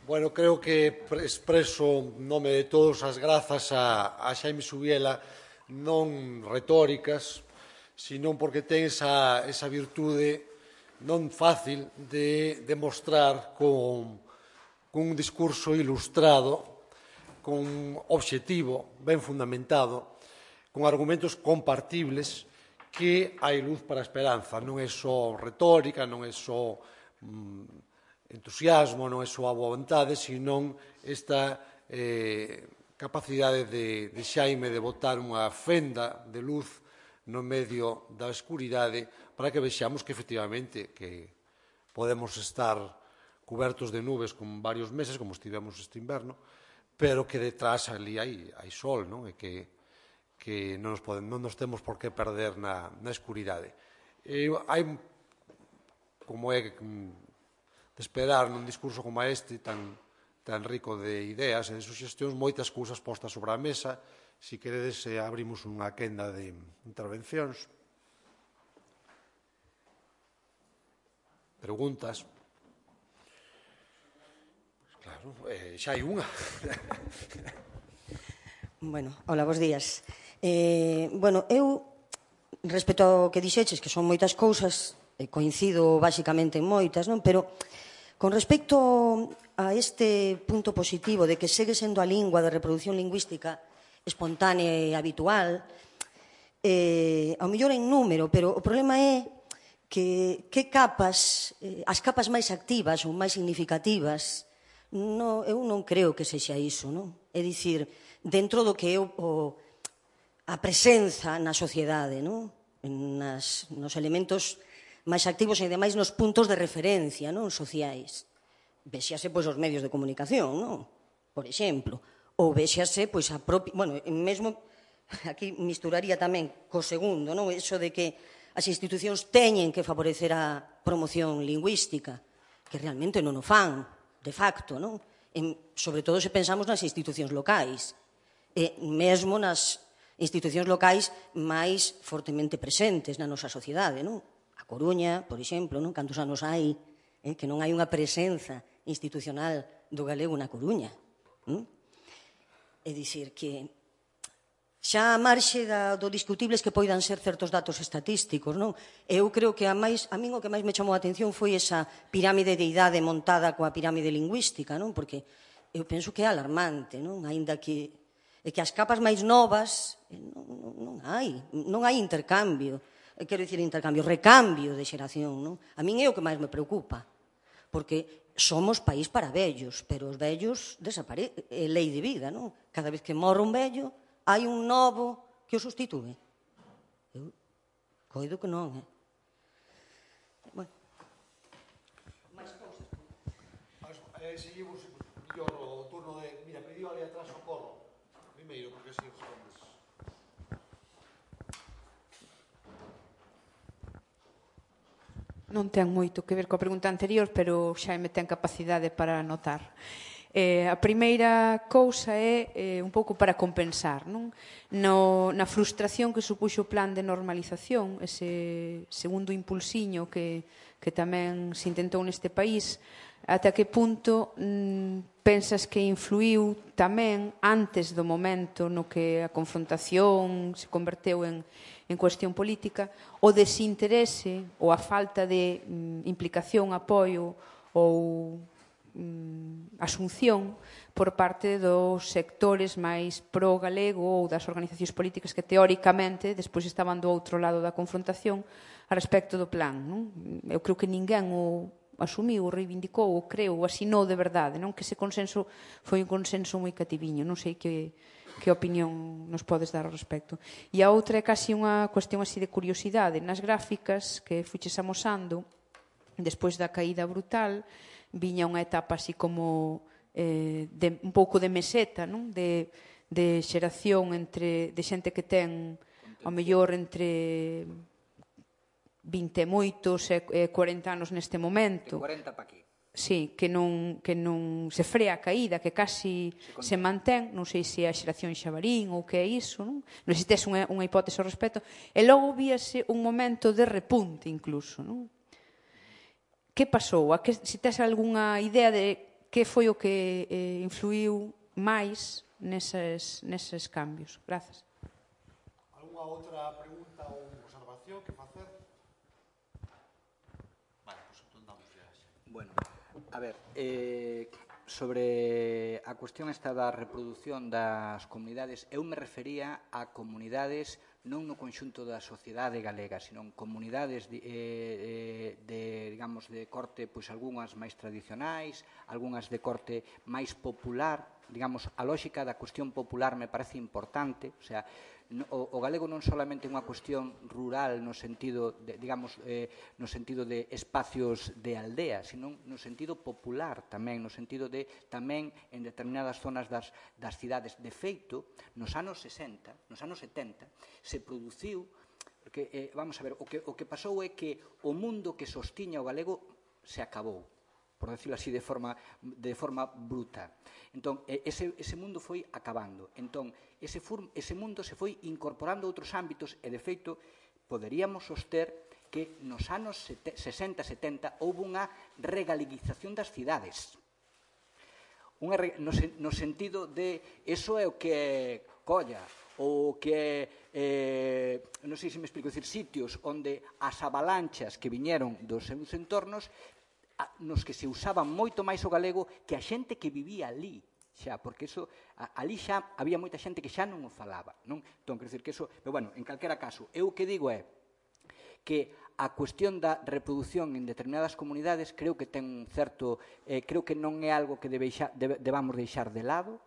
Bueno, creo que expreso en nome de todos as grazas a Xaime Subiela, non retóricas, sino porque ten esa virtude non fácil de demostrar con un discurso ilustrado, con obxectivo, ben fundamentado, con argumentos compartibles, que hai luz para a esperanza. Non é só retórica, non é só entusiasmo, non é só a boa vontade, sino esta capacidade de Xaime de botar unha fenda de luz no medio da escuridade para que vexamos que, efectivamente, que podemos estar cubertos de nubes con varios meses, como estivemos este inverno, pero que detrás ali hai sol, non? E que non nos temos por que perder na escuridade. Hai, como é de esperar nun discurso como este, tan rico de ideas e de suxestións, moitas cousas postas sobre a mesa. Si queredes, abrimos unha quenda de intervencións. Preguntas. Claro, xa hai unha. Bueno, hola, bos días. Bueno, eu, respecto ao que dixeches, que son moitas cousas, coincido basicamente en moitas, non? Pero con respecto a este punto positivo de que segue sendo a lingua de reproducción lingüística espontánea e habitual, ao mellor en número, pero o problema é que capas, as capas máis activas ou máis significativas, eu non creo que sexa iso, non? É dicir, dentro do que é a presenza na sociedade, non? Nos elementos máis activos e, ademais, nos puntos de referencia, non? Sociais. Véxase, pois, os medios de comunicación, non? Por exemplo. Ou véxase, pois, a propia... Bueno, mesmo, aquí misturaría tamén co segundo, non? Eso de que as institucións teñen que favorecer a promoción lingüística, que realmente non o fan, de facto, non? Sobre todo se pensamos nas institucións locais, e mesmo nas institucións locais máis fortemente presentes na nosa sociedade, non? A Coruña, por exemplo, non? Cantos anos hai que non hai unha presenza institucional do galego na Coruña. É dicir, que xa a marxe do discutibles que poidan ser certos datos estatísticos, non? Eu creo que a min o que máis me chamou a atención foi esa pirámide de idade montada coa pirámide lingüística, non? Porque eu penso que é alarmante, non? Aínda que as capas máis novas non hai intercambio, quero dicir intercambio, recambio de xeración, non? A min é o que máis me preocupa, porque somos país para vellos, pero os vellos é lei de vida, non? Cada vez que morre un vello, hai un novo que o sustitúe. Eu coido que non, Bueno. Máis cousas. Seguimos mellor o turno de... Mira, pediu ali atrás o corro. Primeiro, porque así respondes. Non ten moito que ver coa pregunta anterior, pero xa me ten capacidade para anotar. A primeira cousa é un pouco para compensar, non? Na frustración que supuxo o plan de normalización, ese segundo impulsiño que tamén se intentou neste país, ata que punto pensas que influiu tamén antes do momento no que a confrontación se converteu en cuestión política, o desinterese ou a falta de implicación, apoio ou asunción por parte dos sectores máis pro-galego ou das organizacións políticas que teóricamente despois estaban do outro lado da confrontación a respecto do plan, non? Eu creo que ninguén o asumiu, o reivindicou, o creu, o asinou de verdade, non? Que ese consenso foi un consenso moi cativiño, non sei que opinión nos podes dar ao respecto. E a outra é casi unha cuestión así de curiosidade. Nas gráficas que fuches amosando, despois da caída brutal, viña unha etapa así como un pouco de meseta, non? De xeración de xente que ten ao mellor entre 20 e moitos e 40 anos neste momento. De 40 pa aquí. Sí, que non se frea a caída, que casi se mantén, non sei se é a xeración xabarín ou que é iso, non? Non sei se tes unha hipótese ao respecto. E logo víase un momento de repunte incluso, non? Que pasou? Se tes algunha idea de que foi o que influiu máis neses cambios? Grazas. Alguna outra pregunta ou observación que facer? Vale, pois entón damos ya. Bueno, a ver, sobre a cuestión esta da reproducción das comunidades, eu me refería a comunidades non no conxunto da sociedade galega, sino comunidades digamos, de corte, pois algunhas máis tradicionais, algunhas de corte máis popular. Digamos, a lógica da cuestión popular me parece importante, o sea, o galego non solamente é unha cuestión rural no sentido de, digamos, no sentido de espacios de aldea, sino no sentido popular tamén, no sentido de tamén en determinadas zonas das cidades. De feito, nos anos 60, nos anos 70, se produciu, porque, vamos a ver, o que pasou é que o mundo que sostiña o galego se acabou, por decirlo así, de forma bruta. Entón, ese mundo foi acabando. Entón, ese mundo se foi incorporando a outros ámbitos e, de feito, poderíamos soster que nos anos 60-70 houve unha regaliguización das cidades. No sentido de, eso é o que é Colla, ou que é, non sei se me explico, decir, sitios onde as avalanchas que viñeron dos seus entornos nos que se usaba moito máis o galego que a xente que vivía ali, xa, porque eso, ali xa había moita xente que xa non o falaba, non? Entón, quero dicir que eso, pero bueno, en calquera caso, eu o que digo é que a cuestión da reproducción en determinadas comunidades creo que ten un certo, creo que non é algo que debamos deixar de lado,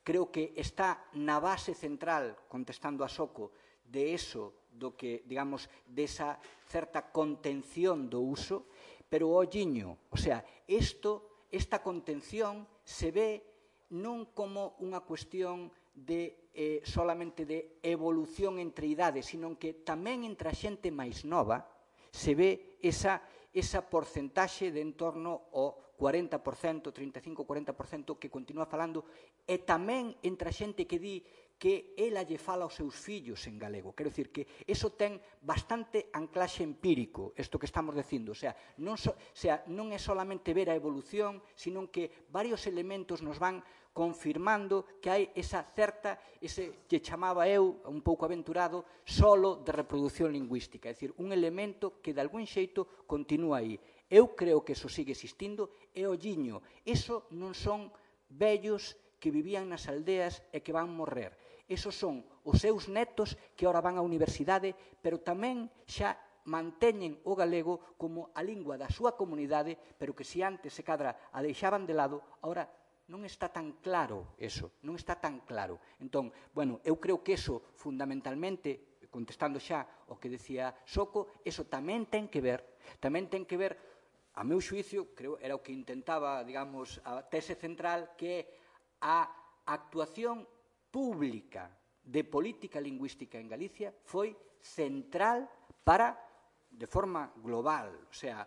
creo que está na base central, contestando a Soco, de eso, do que, digamos, desa certa contención do uso, pero olliño, o sea, esta contención se ve non como unha cuestión de solamente de evolución entre idades, sino que tamén entre a xente máis nova se ve esa porcentaxe de en torno ao 40%, 35-40% que continúa falando, e tamén entre a xente que di que ela lle fala aos seus fillos en galego. Quero dicir que eso ten bastante anclaxe empírico, isto que estamos dicindo. O sea, non é solamente ver a evolución, sino que varios elementos nos van confirmando que hai esa certa, que chamaba eu, un pouco aventurado, solo de reproducción lingüística. É dicir, un elemento que de algún xeito continúa aí. Eu creo que eso sigue existindo e olliño. Eso non son vellos que vivían nas aldeas e que van morrer. Esos son os seus netos que ahora van á universidade, pero tamén xa manteñen o galego como a lingua da súa comunidade, pero que se antes se cadra a deixaban de lado, ahora non está tan claro eso, non está tan claro. Entón, bueno, eu creo que eso fundamentalmente, contestando xa o que decía Soco, eso tamén ten que ver, a meu xuicio, creo, era o que intentaba, digamos, a tese central, que é a actuación pública de política lingüística en Galicia foi central para, de forma global, o sea,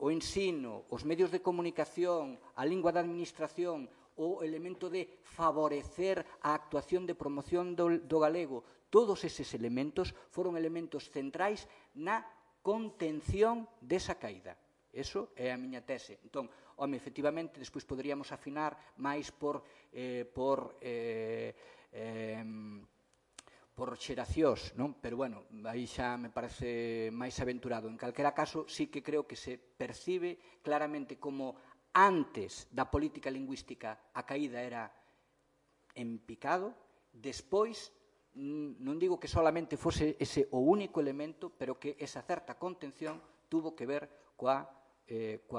o ensino, os medios de comunicación, a lingua da administración, o elemento de favorecer a actuación de promoción do galego, todos eses elementos foron elementos centrais na contención desa caída. Eso é a miña tese. Entón, home, efectivamente, despois poderíamos afinar máis por xeracións, non? Pero, bueno, aí xa me parece máis aventurado. En calquera caso, sí que creo que se percibe claramente como antes da política lingüística a caída era en picado, despois, non digo que solamente fose ese o único elemento, pero que esa certa contención tuvo que ver coa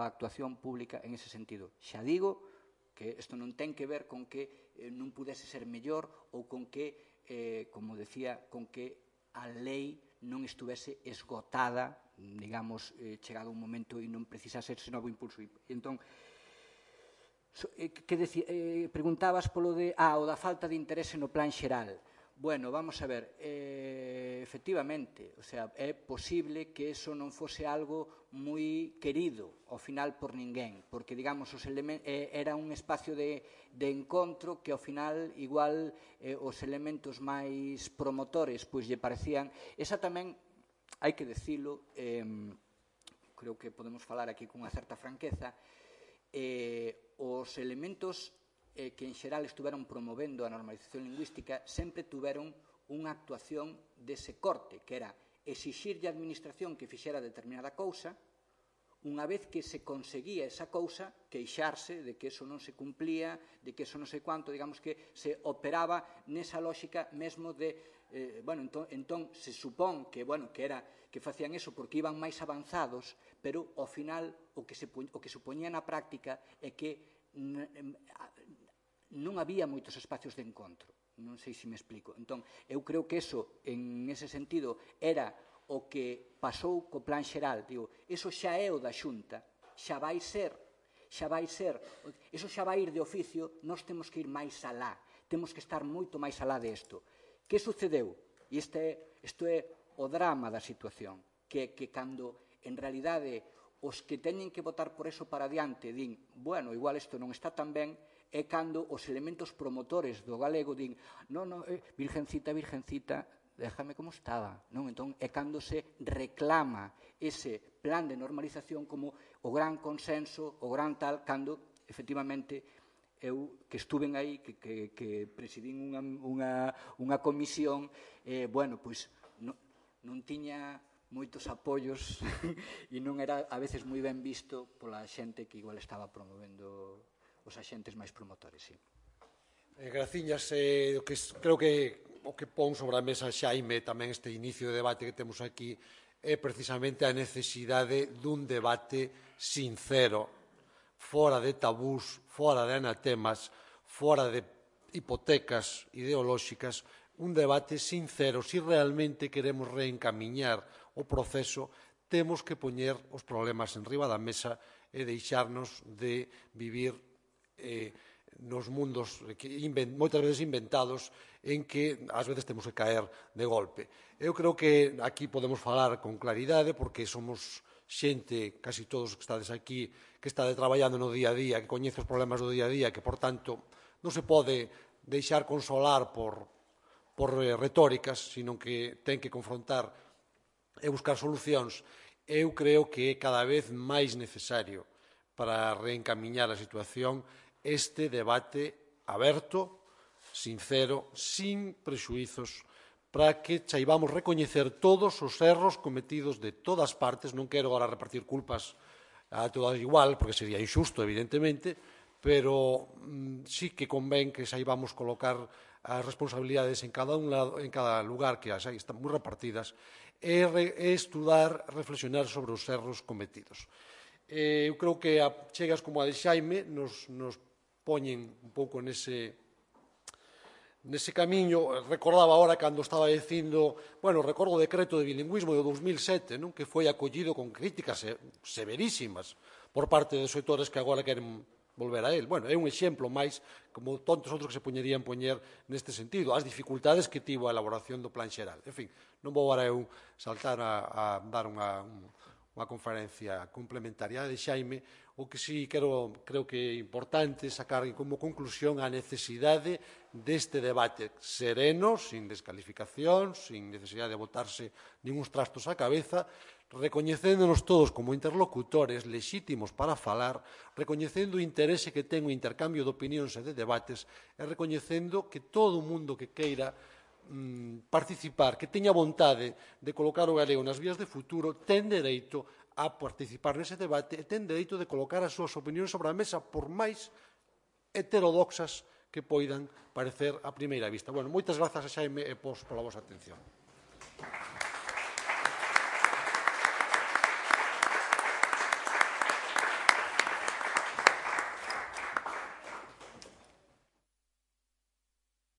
actuación pública en ese sentido. Xa digo que isto non ten que ver con que non pudese ser mellor ou con que, como decía, con que a lei non estuvese esgotada, digamos, chegado un momento e non precisase ese novo impulso. Entón, preguntabas polo de, o da falta de interese no plan xeral. Bueno, vamos a ver, efectivamente, o sea, é posible que eso non fose algo moi querido ao final por ninguén, porque, digamos, era un espacio de encontro que ao final, igual, os elementos máis promotores, pois lle parecían, esa tamén, hai que decilo, creo que podemos falar aquí cunha certa franqueza, os elementos que en xeral estuveron promovendo a normalización lingüística sempre tuveron unha actuación dese corte, que era exixirlle á administración que fixera determinada cousa, unha vez que se conseguía esa cousa, queixarse de que eso non se cumplía, de que eso non sei quanto, digamos que se operaba nesa lógica mesmo de entón se supón que facían eso porque iban máis avanzados, pero ao final o que se poñía na práctica é que non había moitos espacios de encontro. Non sei se me explico. Entón, eu creo que eso, en ese sentido, era o que pasou co plan xeral. Digo, eso xa é o da Xunta, xa vai ser, eso xa vai ir de oficio, nós temos que ir máis alá, temos que estar moito máis alá desto. Que sucedeu? E isto é o drama da situación, que cando, en realidade, os que teñen que votar por eso para adiante din, bueno, igual isto non está tan ben, é cando os elementos promotores do galego din, virgencita, déjame como estaba. Entón, é cando se reclama ese plan de normalización como o gran consenso, o gran tal, cando, efectivamente, eu que estuven aí, que presidín unha comisión, pois non tiña moitos apoios e non era a veces moi ben visto pola xente que igual estaba promovendo os axentes máis promotores, sí. Graciñas, creo que o que pon sobre a mesa Xaime tamén este inicio de debate que temos aquí é precisamente a necesidade dun debate sincero, fora de tabús, fora de anatemas, fora de hipotecas ideolóxicas, un debate sincero. Si realmente queremos reencamiñar o proceso, temos que poñer os problemas en riba da mesa e deixarnos de vivir nos mundos moitas veces inventados en que ás veces temos que caer de golpe. Eu creo que aquí podemos falar con claridade porque somos xente, casi todos que estades aquí, que está traballando no día a día, que coñece os problemas do día a día, que, por tanto, non se pode deixar consolar por retóricas, sino que ten que confrontar e buscar solucións. Eu creo que é cada vez máis necesario para reencamiñar a situación este debate aberto, sincero, sin prexuizos, para que saibamos recoñecer todos os erros cometidos de todas partes. Non quero agora repartir culpas a todas igual, porque sería injusto, evidentemente, pero sí que convén que saibamos colocar as responsabilidades en cada lugar, que as están moi repartidas, e estudar, reflexionar sobre os erros cometidos. Eu creo que chegas como a de Xaime nos poñen un pouco nese camiño. Recordaba ahora cando estaba dicindo, recordo o decreto de bilingüismo de 2007, que foi acollido con críticas severísimas por parte de sectores que agora queren volver a él. É un exemplo máis, como tantos outros que se poñerían poñer neste sentido, as dificultades que tivo a elaboración do plan xeral. En fin, non vou agora eu saltar a dar unha conferencia complementaria de Xaime. O que sí creo que é importante sacar como conclusión a necesidade deste debate sereno, sin descalificación, sin necesidade de botarse ninguns trastos á cabeza, recoñecéndonos todos como interlocutores lexítimos para falar, recoñecendo o interese que ten o intercambio de opinións e de debates, e recoñecendo que todo o mundo que queira participar, que teña vontade de colocar o galego nas vías de futuro, ten dereito a participar nese debate e ten dereito de colocar as súas opinións sobre a mesa, por máis heterodoxas que poidan parecer a primeira vista. Moitas grazas a Xaime e pola vosa atención.